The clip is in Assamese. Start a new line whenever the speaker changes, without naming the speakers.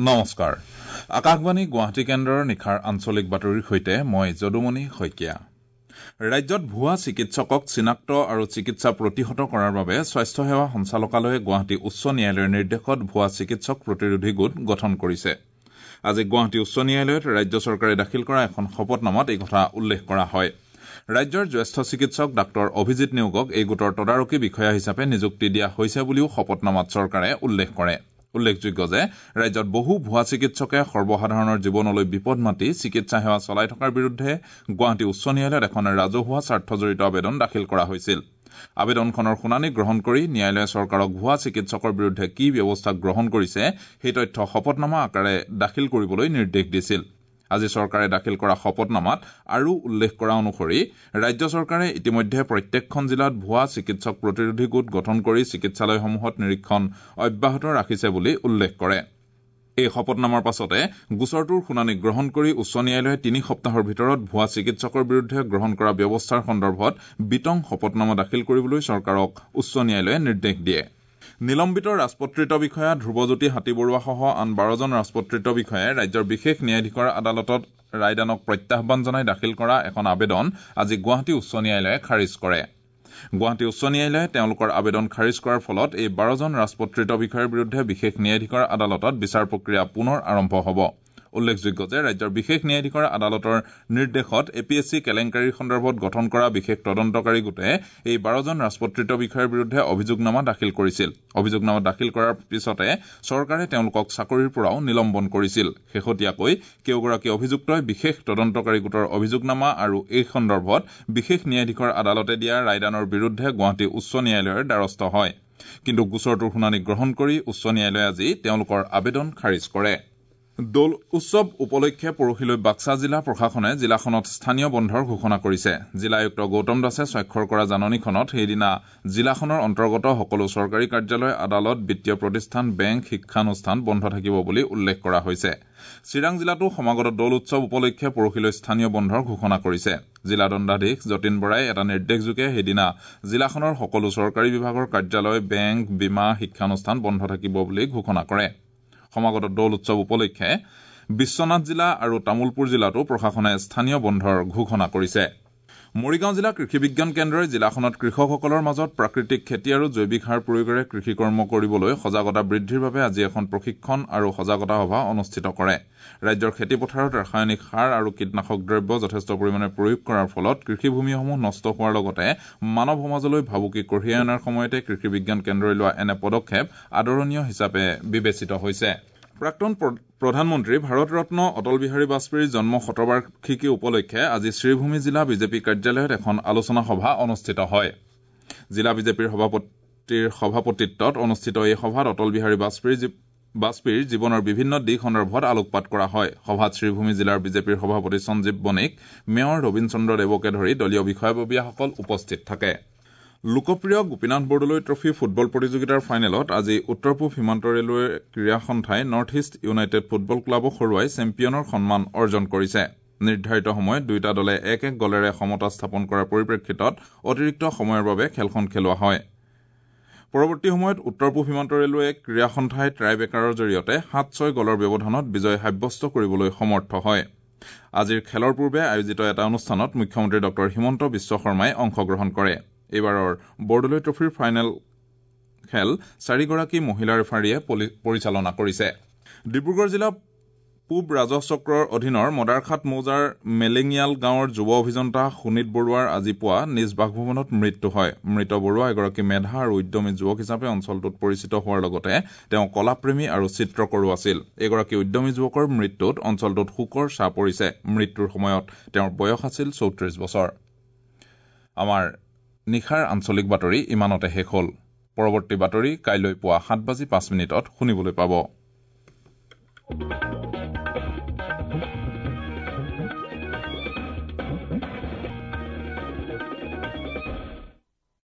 নমস্কাৰ, আকাশবাণী গুৱাহাটী কেন্দ্ৰৰ নিশাৰ আঞ্চলিক বাতৰিৰ সৈতে মই যদুমণি শইকীয়া। ৰাজ্যত ভুৱা চিকিৎসকক চিনাক্ত আৰু চিকিৎসা প্ৰতিহত কৰাৰ বাবে স্বাস্থ্য সেৱা সঞ্চালকালয়ে গুৱাহাটী উচ্চ ন্যায়ালয়ৰ নিৰ্দেশত ভুৱা চিকিৎসক প্ৰতিৰোধী গোট গঠন কৰিছে। আজি গুৱাহাটী উচ্চ ন্যায়ালয়ত ৰাজ্য চৰকাৰে দাখিল কৰা এখন শপতনামাত এই কথা উল্লেখ কৰা হয়। ৰাজ্যৰ জ্যেষ্ঠ চিকিৎসক ডাঃ অভিজিৎ নেওগক এই গোটৰ তদাৰকী বিষয়া হিচাপে নিযুক্তি দিয়া হৈছে বুলিও শপতনামাত চৰকাৰে উল্লেখ কৰে। উল্লেখযোগ্য যে ৰাজ্যত বহু ভুৱা চিকিৎসকে সৰ্বসাধাৰণৰ জীৱনলৈ বিপদ মাতি চিকিৎসা সেৱা চলাই থকাৰ বিৰুদ্ধে গুৱাহাটী উচ্চ ন্যায়ালয়ত এখন ৰাজহুৱা স্বাৰ্থজড়িত আবেদন দাখিল কৰা হৈছিল। আবেদনখনৰ শুনানি গ্ৰহণ কৰি ন্যায়ালয়ে চৰকাৰক ভুৱা চিকিৎসকৰ বিৰুদ্ধে কি ব্যৱস্থা গ্ৰহণ কৰিছে সেই তথ্য শপতনামা আকাৰে দাখিল কৰিবলৈ নিৰ্দেশ দিছিল। আজি চৰকাৰে দাখিল কৰা শপতনামাত আৰু উল্লেখ কৰা অনুসৰি ৰাজ্য চৰকাৰে ইতিমধ্যে প্ৰত্যেকখন জিলাত ভুৱা চিকিৎসক প্ৰতিৰোধী গোট গঠন কৰি চিকিৎসালয়সমূহত নিৰীক্ষণ অব্যাহত ৰাখিছে বুলি উল্লেখ কৰে। এই শপতনামাৰ পাছতে গোচৰটোৰ শুনানি গ্ৰহণ কৰি উচ্চ ন্যায়ালয়ে 3 সপ্তাহৰ ভিতৰত ভুৱা চিকিৎসকৰ বিৰুদ্ধে গ্ৰহণ কৰা ব্যৱস্থাৰ সন্দৰ্ভত বিতং শপতনামা দাখিল কৰিবলৈ চৰকাৰক উচ্চ ন্যায়ালয়ে নিৰ্দেশ দিয়ে। নিলম্বিত ৰাজপত্ৰিত বিষয়া ধ্ৰুৱজ্যোতি হাতীবৰুৱাসহ আন 12জন ৰাজপত্ৰিত বিষয়াই ৰাজ্যৰ বিশেষ ন্যায়াধীশৰ আদালতত ৰায়দানক প্ৰত্যাহ্বান জনাই দাখিল কৰা এখন আবেদন আজি গুৱাহাটী উচ্চ ন্যায়ালয়ে খাৰিজ কৰে। গুৱাহাটী উচ্চ ন্যায়ালয়ে তেওঁলোকৰ আবেদন খাৰিজ কৰাৰ ফলত এই 12জন ৰাজপত্ৰিত বিষয়াৰ বিৰুদ্ধে বিশেষ ন্যায়াধীশৰ আদালতত বিচাৰ প্ৰক্ৰিয়া পুনৰ আৰম্ভ হ'ব। উল্লেখযোগ্য যে ৰাজ্যৰ বিশেষ ন্যায়াধীশৰ আদালতৰ নিৰ্দেশত এ পি এছ চি কেলেংকাৰীৰ সন্দৰ্ভত গঠন কৰা বিশেষ তদন্তকাৰী গোটে এই 12জন ৰাজপত্ৰিত বিষয়াৰ বিৰুদ্ধে অভিযোগনামা দাখিল কৰিছিল। অভিযোগনামা দাখিল কৰাৰ পিছতে চৰকাৰে তেওঁলোকক চাকৰিৰ পৰাও নিলম্বন কৰিছিল। শেহতীয়াকৈ কেইগৰাকী অভিযুক্তই বিশেষ তদন্তকাৰী গোটৰ অভিযোগনামা আৰু এই সন্দৰ্ভত বিশেষ ন্যায়াধীশৰ আদালতে দিয়া ৰায়দানৰ বিৰুদ্ধে গুৱাহাটী উচ্চ ন্যায়ালয়ৰ দ্বাৰস্থ হয়। কিন্তু গোচৰটোৰ শুনানি গ্ৰহণ কৰি উচ্চ ন্যায়ালয়ে আজি তেওঁলোকৰ আবেদন খাৰিজ কৰে। দৌল উৎসৱ উপলক্ষে পৰহিলৈ বাক্সা জিলা প্ৰশাসনে জিলাখনত স্থানীয় বন্ধৰ ঘোষণা কৰিছে। জিলা আয়ুক্ত গৌতম দাসে স্বাক্ষৰ কৰা জাননীখনত সেইদিনা জিলাখনৰ অন্তৰ্গত সকলো চৰকাৰী কাৰ্যালয়, আদালত, বিত্তীয় প্ৰতিষ্ঠান, বেংক, শিক্ষানুষ্ঠান বন্ধ থাকিব বুলি উল্লেখ কৰা হৈছে। চিৰাং জিলাতো সমাগত দৌল উৎসৱ উপলক্ষে পৰহিলৈ স্থানীয় বন্ধৰ ঘোষণা কৰিছে। জিলা দণ্ডাধীশ যতীন বৰাই এটা নিৰ্দেশযোগে সেইদিনা জিলাখনৰ সকলো চৰকাৰী বিভাগৰ কাৰ্যালয়, বেংক, বীমা, শিক্ষানুষ্ঠান বন্ধ থাকিব বুলি ঘোষণা কৰে। সমাগত দৌল উৎসৱ উপলক্ষে বিশ্বনাথ জিলা আৰু তামুলপুৰ জিলাতো প্ৰশাসনে স্থানীয় বন্ধৰ ঘোষণা কৰিছে। মৰিগাঁও জিলা কৃষি বিজ্ঞান কেন্দ্ৰই জিলাখনত কৃষকসকলৰ মাজত প্ৰাকৃতিক খেতি আৰু জৈৱিক সাৰ প্ৰয়োগেৰে কৃষিকৰ্ম কৰিবলৈ সজাগতা বৃদ্ধিৰ বাবে আজি এখন প্ৰশিক্ষণ আৰু সজাগতা সভা অনুষ্ঠিত কৰে। ৰাজ্যৰ খেতিপথাৰত ৰাসায়নিক সাৰ আৰু কীটনাশক দ্ৰব্য যথেষ্ট পৰিমাণে প্ৰয়োগ কৰাৰ ফলত কৃষিভূমিসমূহ নষ্ট হোৱাৰ লগতে মানৱ সমাজলৈ ভাবুকি কঢ়িয়াই অনাৰ সময়তে কৃষি বিজ্ঞান কেন্দ্ৰই লোৱা এনে পদক্ষেপ আদৰণীয় হিচাপে বিবেচিত হৈছে। প্ৰাক্তন প্ৰধানমন্ত্ৰী ভাৰতৰত্ন অটল বিহাৰী বাজপেয়ীৰ জন্ম শতবাৰ্ষিকী উপলক্ষে আজি শ্ৰীভূমি জিলা বিজেপি কাৰ্যালয়ত এখন আলোচনা সভা অনুষ্ঠিত হয়। জিলা বিজেপিৰ সভাপতিৰ সভাপতিত্বত অনুষ্ঠিত এই সভাত অটল বিহাৰী বাজপেয়ীৰ জীৱনৰ বিভিন্ন দিশ সন্দৰ্ভত আলোকপাত কৰা হয়। সভাত শ্ৰীভূমি জিলাৰ বিজেপিৰ সভাপতি সঞ্জীৱ বণিক, মেয়ৰ ৰবীন চন্দ্ৰ দেৱকে ধৰি দলীয় বিষয়াববীয়াসকল উপস্থিত থাকে। লোকপ্ৰিয় গোপীনাথ বৰদলৈ ট্ৰফী ফুটবল প্ৰতিযোগিতাৰ ফাইনেলত আজি উত্তৰ পূব সীমান্ত ৰেলৱে ক্ৰীড়া সন্থাই নৰ্থ ইষ্ট ইউনাইটেড ফুটবল ক্লাবক হৰুৱাই চেম্পিয়নৰ সন্মান অৰ্জন কৰিছে। নিৰ্ধাৰিত সময়ত দুয়োটা দলে 1-1 গলেৰে সমতা স্থাপন কৰাৰ পৰিপ্ৰেক্ষিতত অতিৰিক্ত সময়ৰ বাবে খেলখন খেলোৱা হয়। পৰৱৰ্তী সময়ত উত্তৰ পূব সীমান্ত ৰেলৱে ক্ৰীড়া সন্থাই ট্ৰাইবেকাৰৰ জৰিয়তে 7-6 গলৰ ব্যৱধানত বিজয় সাব্যস্ত কৰিবলৈ সমৰ্থ হয়। আজিৰ খেলৰ পূৰ্বে আয়োজিত এটা অনুষ্ঠানত মুখ্যমন্ত্ৰী ডঃ হিমন্ত বিশ্ব শৰ্মাই অংশগ্ৰহণ কৰে। এইবাৰৰ বৰদলৈ ট্ৰফীৰ ফাইনেল খেল 4গৰাকী মহিলা ৰেফাৰীয়ে পৰিচালনা কৰিছে। ডিব্ৰুগড় জিলা পূব ৰাজহ চক্ৰৰ অধীনৰ মদাৰখাট মৌজাৰ মেলেঙিয়াল গাঁৱৰ যুৱ অভিযন্তা সুনীত বৰুৱাৰ আজি পুৱা নিজ বাসভৱনত মৃত্যু হয়। মৃত বৰুৱা এগৰাকী মেধা আৰু উদ্যমী যুৱক হিচাপে অঞ্চলটোত পৰিচিত হোৱাৰ লগতে তেওঁ কলাপ্ৰেমী আৰু চিত্ৰকৰো আছিল। এগৰাকী উদ্যমী যুৱকৰ মৃত্যুত অঞ্চলটোত শোকৰ ছাঁ পৰিছে। মৃত্যুৰ সময়ত তেওঁৰ বয়স আছিল 34 বছৰ। আমাৰ নিশাৰ আঞ্চলিক বাতৰি ইমানতে শেষ হ'ল। পৰৱৰ্তী বাতৰি কাইলৈ পুৱা 7:05 শুনিবলৈ পাব।